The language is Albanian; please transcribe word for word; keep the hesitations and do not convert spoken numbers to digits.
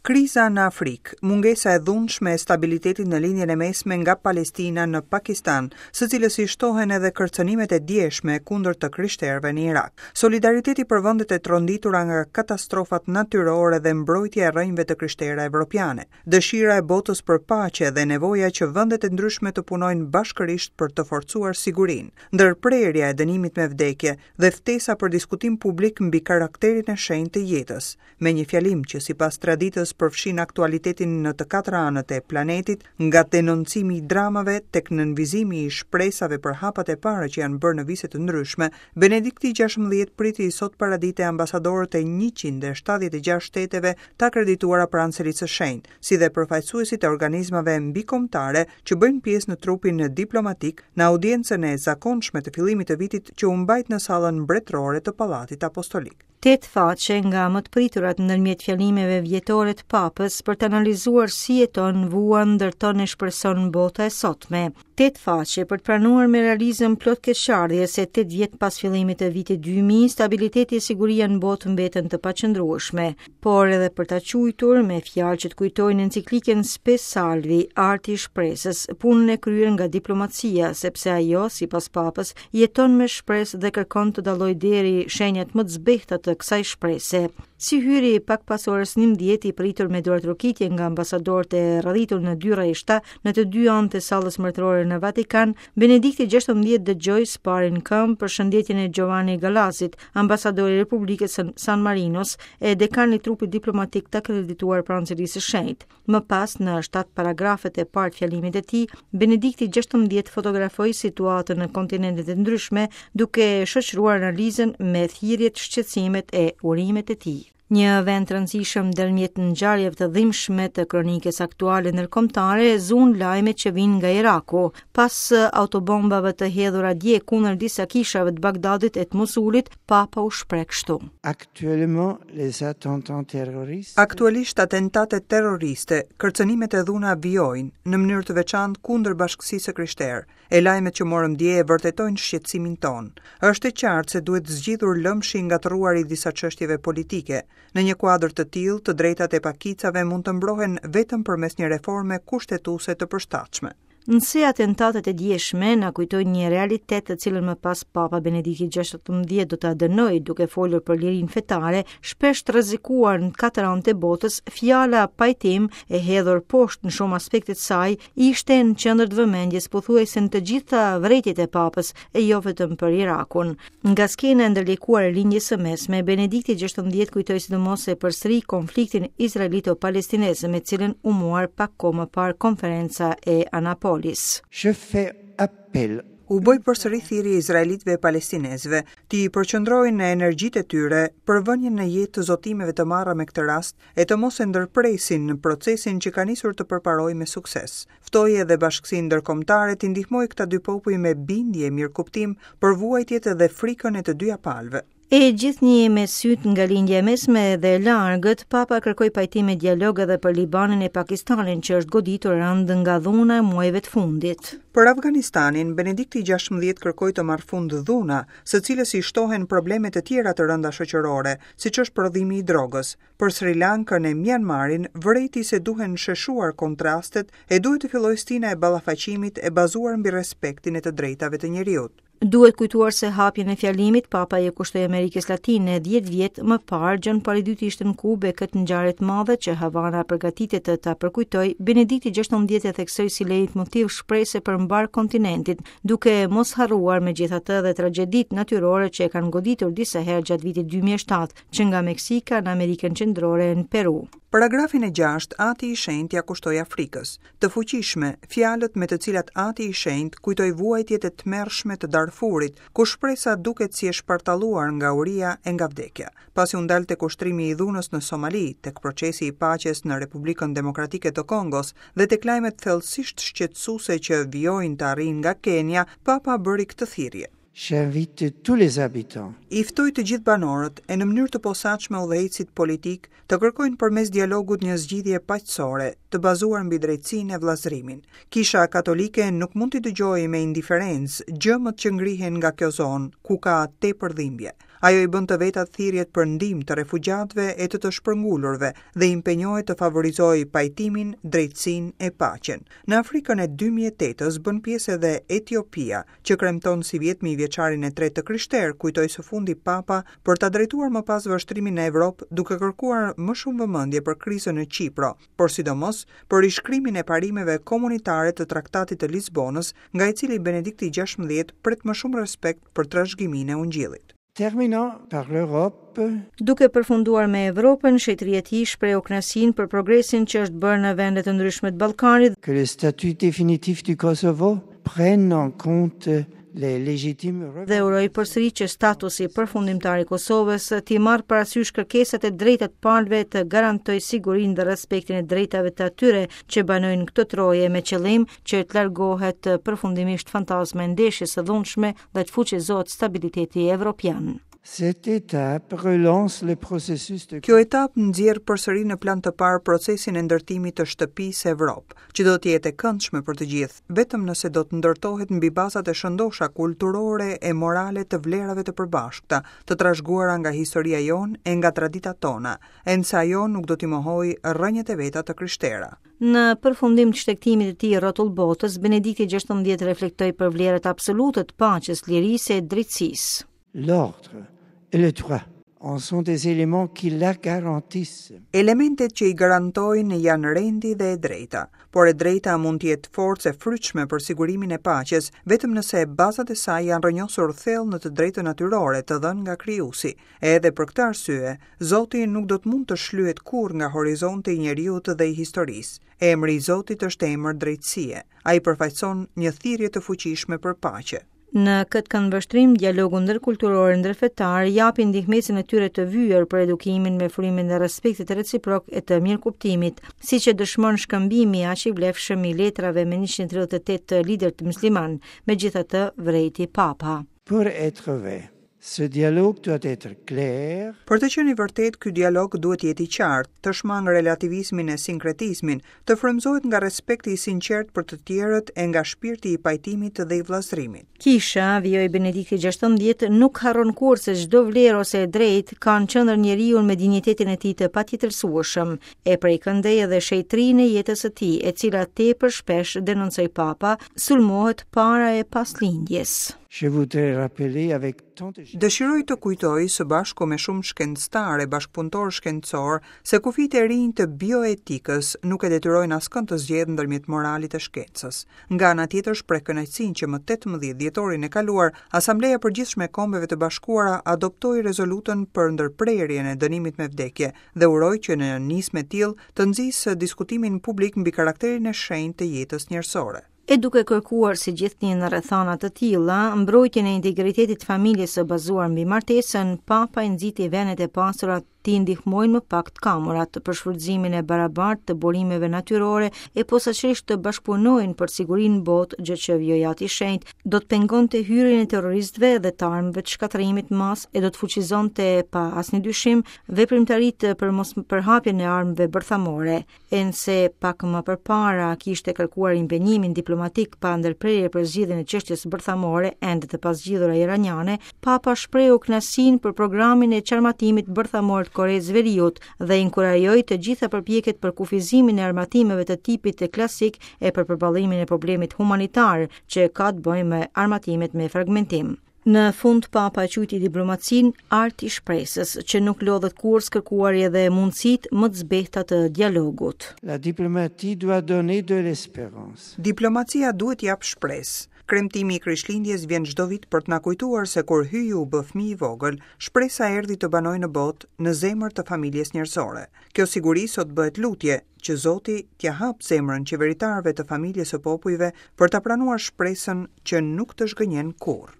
Kriza në Afrikë, mungesa e dhunshme e stabilitetit në Lindjen e Mesme nga Palestina në Pakistan, së cilës i shtohen edhe kërcënimet e djeshme kundër të krishterëve në Irak. Solidariteti për vendet e tronditura nga katastrofat natyrore dhe mbrojtja e rrënjëve të krishtera evropiane. Dëshira e botës për paqe dhe nevoja që vendet e ndryshme të punojnë bashkërisht për të forcuar sigurinë. Ndërprerja e dënimit me vdekje dhe ftesa për diskutim publik mbi karakterin e shenjtë të jetës, me një fjalim që sipas traditës përfshin aktualitetin në të katër anët e planetit, nga denoncimi i dramave tek nënvizimi i shpresave për hapat e para që janë bërë në vise të ndryshme, Benedikti gjashtëmbëdhjetë priti sot paradite ambasadorët e njëqind e shtatëdhjetë e gjashtë shteteve të akredituara pranë Selisë së Shenjtë, si dhe përfaqësuesit e organizmave mbikombëtare që bëjnë pjesë në trupin diplomatik në audiencën e zakonshme të fillimit të vitit që u mbajt në sallën mbretërore të Pallatit Apostolik. Tetë faqe nga më të priturat ndërmjet fjalimeve vjetore të Papës për të analizuar si jeton, vuan, ndërton e shpreson bota e sotme. Tetë faqe për të pranuar me realizëm plot keqardhje se tetë vjet pas fillimit të vitit dy mijë, stabiliteti e siguria në botë mbeten të paqëndrueshme, por edhe për ta quajtur me fjalë që të kujtojnë enciklikën Spe Salvi, arti i shpresës, punën e kryer nga diplomacia, sepse ajo, sipas Papës, jeton me shpresë dhe kërkon të dallojë deri shenjat më të zbehta të kësaj shprese. Si hyri pak pas orës njëmbëdhjetë i pritur me duartrokitje nga ambasadorët e radhitur në dy rreshta në të dy anët e sallës mbretërore në Vatikan, Benedikti gjashtëmbëdhjetë dëgjoi sparin këmbë përshëndetjen e Giovanni Gallasit, ambasadori i Republikës së San Marinos e dekan i trupit diplomatik të akredituar pranë Selisë së Shenjtë. Më pas, në shtatë paragrafët e parë të fjalimit të tij, Benedikti gjashtëmbëdhjetë fotografoi situatën në kontinentet e ndryshme, duke shoqëruar analizën me thirrjet, shqetësimet e urimet e tij. Një vend të rëndësishëm ndërmjet ngjarjeve të dhimbshme të kronikës aktuale ndërkombëtare zun lajmet që vijnë nga Iraku. Pas autobombave të hedhura dje kundër disa kishave të Bagdadit e të Mosulit, Papa u shpreh kështu. Actuellement, les attentats terroristes Aktualisht atentatet terroriste, kërcënimet e dhuna vijojnë në mënyrë të veçantë kundër bashkësisë së krishterë. E lajmet që morëm dje e vërtetojnë shqetësimin tonë. Është e qartë se duhet zgjidhur lëmshi ngatërruar i disa çështjeve politike. Në një kuadër të tillë, të drejtat e pakicave mund të mbrohen vetëm përmes një reforme kushtetuese të përshtatshme. Nëse atentatet e djeshme na kujtojnë një realitet të cilën më pas Papa Benedikti gjashtëmbëdhjetë do ta dënojë duke folur për lirinë fetare, shpesh të rrezikuar në katër anët e botës, fjala pajtim e hedhur poshtë në shumë aspekte të saj ishte në qendër të vëmendjes pothuajse në të gjitha vërejtjet e Papës, e jo vetëm për Irakun. Nga skena e ndërlikuar e Lindjes së Mesme, Benedikti gjashtëmbëdhjetë kujtoi sidomos se përsëri konfliktin izraelito-palestinez me cilën u muar pak kohë më parë konferenca e Anapolis. Je fais appel. U bëj përsëri thirrje izraelitëve e palestinezëve t'i përqendrojnë energjitë e tyre për vënien në jetë të zotimeve të marra me këtë rast e të mos e ndërpresin në procesin që ka nisur të përparojë me sukses. Ftoi edhe bashkësinë ndërkombëtare t'i ndihmojë këta dy popuj me bindje e mirëkuptim për vuajtjet dhe frikën e të dyja palëve. E gjithnjë me syt nga lindja e mesme dhe e largët, Papa kërkoi pajtim e dialog edhe për Libanin e Pakistanin, që është goditur rëndë nga dhuna e muajve të fundit. Për Afganistanin, Benedikti gjashtëmbëdhjetë kërkoi të marrë fund dhuna, së cilës i shtohen probleme të tjera të rënda shoqërore, siç është prodhimi i drogës. Për Sri Lankën e Myanmarin, vërejti se duhen sheshuar kontrastet e duhet të fillojë stina e ballafaqimit e bazuar mbi respektin e të drejtave të njeriut. Duhet kujtuar se hapjen e fjalimit Papa i kushtoi Amerikës Latine dhjetë vjet më parë. Gjon Pali i dytë ishte në Kubë e këtë ngjarje të madhe që Havana përgatitet të ta përkujtoj, Benedikti gjashtëmbëdhjetë e theksoi si lejtmotiv shprese për mbar kontinentin, duke mos harruar megjithatë edhe tragjeditë natyrore që e kanë goditur disa herë gjatë vitit dy mijë e shtatë, që nga Meksika në Amerikën Qendrore e në Peru. Paragrafin e gjashtë, Ati i Shenjtë ja kushtoi Afrikës. Të fuqishme, fjalët me të cilat Ati i Shenjtë kujtoi vuajtjet e tmerrshme të Darfurit, ku shpresa duket si e shpartalluar nga uria e nga vdekja. Pasi u ndal tek ushtrimi i dhunës në Somali, tek procesi i paqes në Republikën Demokratike të Kongos dhe tek lajmet thellësisht shqetësuese që vijojnë të arrijnë nga Kenia, Papa bëri këtë thirrje. J'invite tous les habitants. I ftoj të gjithë banorët e në mënyrë të posaçme udhëheqësit politik të kërkojnë përmes dialogut një zgjidhje paqësore, të bazuar mbi drejtësinë e vëllazërimin. Kisha Katolike nuk mund t'i dëgjojë me indiferencë gjëmët që ngrihen nga kjo zonë, ku ka tepër dhimbje. Ajo i bën të vetat thirrjet për ndihmë të refugjatëve e të të shpërngulurve dhe impenjohet të favorizojë pajtimin, drejtësinë e paqen. Në Afrikën e dy mijë e tetës bën pjesë edhe Etiopia, që kremton sivjet mijëvjeçarin e tretë të krishterë, kujtoi së fundi Papa për ta drejtuar më pas vështrimin në Evropë, duke kërkuar më shumë vëmendje për krizën në Qipro, por sidomos për rishkrimin e parimeve komunitare të Traktatit të Lisbonës, nga i cili Benedikti gjashtëmbëdhjetë pret më shumë respekt për trashëgiminë e Ungjillit. Terminant par l'Europe. Duke përfunduar me Evropën, shenjtëria e tij shprehu kënaqësinë për progresin që është bërë në vende të ndryshme të Ballkanit. Que le statut définitif du Kosovo prenne en compte les légitimes Dhe uroi përsëri që statusi përfundimtar i Kosovës t'i marrë parasysh kërkesat e drejta të palëve, të garantojë sigurinë dhe respektin e drejtave të atyre që banojnë këtë troje, me qëllim që të largohet përfundimisht fantazma e ndeshjes së dhunshme dhe të fuqizohet stabiliteti evropian. Cette étape relance le processus de Kjo etapë nxjerr përsëri në plan të parë procesin e ndërtimit të shtëpisë Evropë, që do të jetë e këndshme për të gjithë, vetëm nëse do të ndërtohet mbi bazat e shëndosha kulturore e morale të vlerave të përbashkëta, të trashëguara nga historia jonë e nga traditat tona, e nëse ajo nuk do t'i mohojë rrënjët e veta të krishtera. Në përfundim të shtegtimit të tij rrotull botës, Benedikti gjashtëmbëdhjetë reflektoi për vlerat absolute të paqes, lirisë e drejtësisë. L'ordre et le droit en sont des éléments qui la garantissent. Elementet që i garantojnë janë rendi dhe e drejta, por e drejta mund të jetë forcë e frytshme për sigurimin e paqes, vetëm nëse bazat e saj janë rrënjosur thellë në të drejtën natyrore të dhënë nga krijuesi. Edhe për këtë arsye, Zoti nuk do të mund të shlyhet kurrë nga horizonti i njeriut dhe i historisë. Emri i Zotit është emër drejtësie. Ai përfaqëson një thirrje të fuqishme për paqe. Në këtë këndvështrim, dialogu ndërkulturor e ndërfetar japin ndihmesën e tyre të vyer për edukimin me frymën e respektit reciprok e të mirëkuptimit, siç e dëshmon shkëmbimi aq i vlefshëm i letrave me njëqind e tridhjetë e tetë liderë të musliman, megjithatë vrejti Papa. Pour être vrai, ce dialogue doit être clair. Për të qenë i vërtet, ky dialog duhet të jetë i qartë, të shmang relativizmin e sinkretizmin, të frymëzohet nga respekti i sinqert për të tjerët e nga shpirti i pajtimit dhe i vëllazërimit. Kisha, vijoi Benedikti gjashtëmbëdhjetë, nuk harron kurrë se çdo vlerë ose e drejtë ka në qendër njeriu me dinjitetin e tij të patjetërsueshëm, e prej këndej edhe shenjtrinë e jetës së tij, e cila tepër shpesh, denoncoi Papa, sulmohet para e pas lindjes. Je voudrais rappeler avec tant de Dëshiroj të kujtoj së bashku me shumë shkencëtarë e bashkëpunëtorë shkencor se kufijtë e rinj të bioetikës nuk e detyrojnë askënd të zgjedhë ndërmjet moralit e shkencës. Nga ana tjetër, shpreh kënaqësinë që më tetëmbëdhjetë dhjetorin e kaluar, Asambleja e Përgjithshme e Kombeve të Bashkuara adoptoi rezolutën për ndërprerjen e dënimit me vdekje dhe uroi që në nismë e tillë të nxisë diskutimin publik mbi karakterin e shenjtë të jetës njerëzore. E duke kërkuar si gjithnjë në rrethana të tilla, mbrojtjen e integritetit të familjes së bazuar mbi martesën, Papa i nxiti vendet e pasura t'i ndihmojnë më pak të kamurat për shfrytëzimin e barabartë të burimeve natyrore e posaçërisht të bashkëpunojnë për sigurinë në botë, gjë që vijoi Ati i Shenjtë do të pengonte hyrjen e terroristëve dhe të armëve të shkatërrimit mas e do të fuqizonte pa asnjë dyshim veprimtaritë për mos përhapjen e armëve bërthamore. E nëse pak më përpara kishte kërkuar impenjimin diplomatik pa ndërprerje për zgjidhjen e çështjes bërthamore ende të pazgjidhura iraniane, Papa shprehu kënaqësinë për programin e çarmatimit bërthamor të Koresë Veriut dhe inkurajoi të gjitha përpjekjet për kufizimin e armatimeve të tipit të klasik e për përballimin e problemit humanitar që ka të bëjë me armatimet me fragmentim. Në fund, Papa e quajti diplomacinë art i shpresës, që nuk lodhet kurrë së kërkuari edhe mundësitë më të zbehta të dialogut. La diplomatie doit donner de l'espérance. Diplomacia duhet japë shpresë. Kremtimi i Krishtlindjes vjen çdo vit për të na kujtuar se kur Hyji u bë fëmijë i vogël, shpresa erdhi të banojë në botë, në zemër të familjes njerëzore. Kjo siguri sot bëhet lutje që Zoti t'ia hap zemrën qeveritarëve të familjes së popujve për ta pranuar shpresën që nuk të zhgënjen kurrë.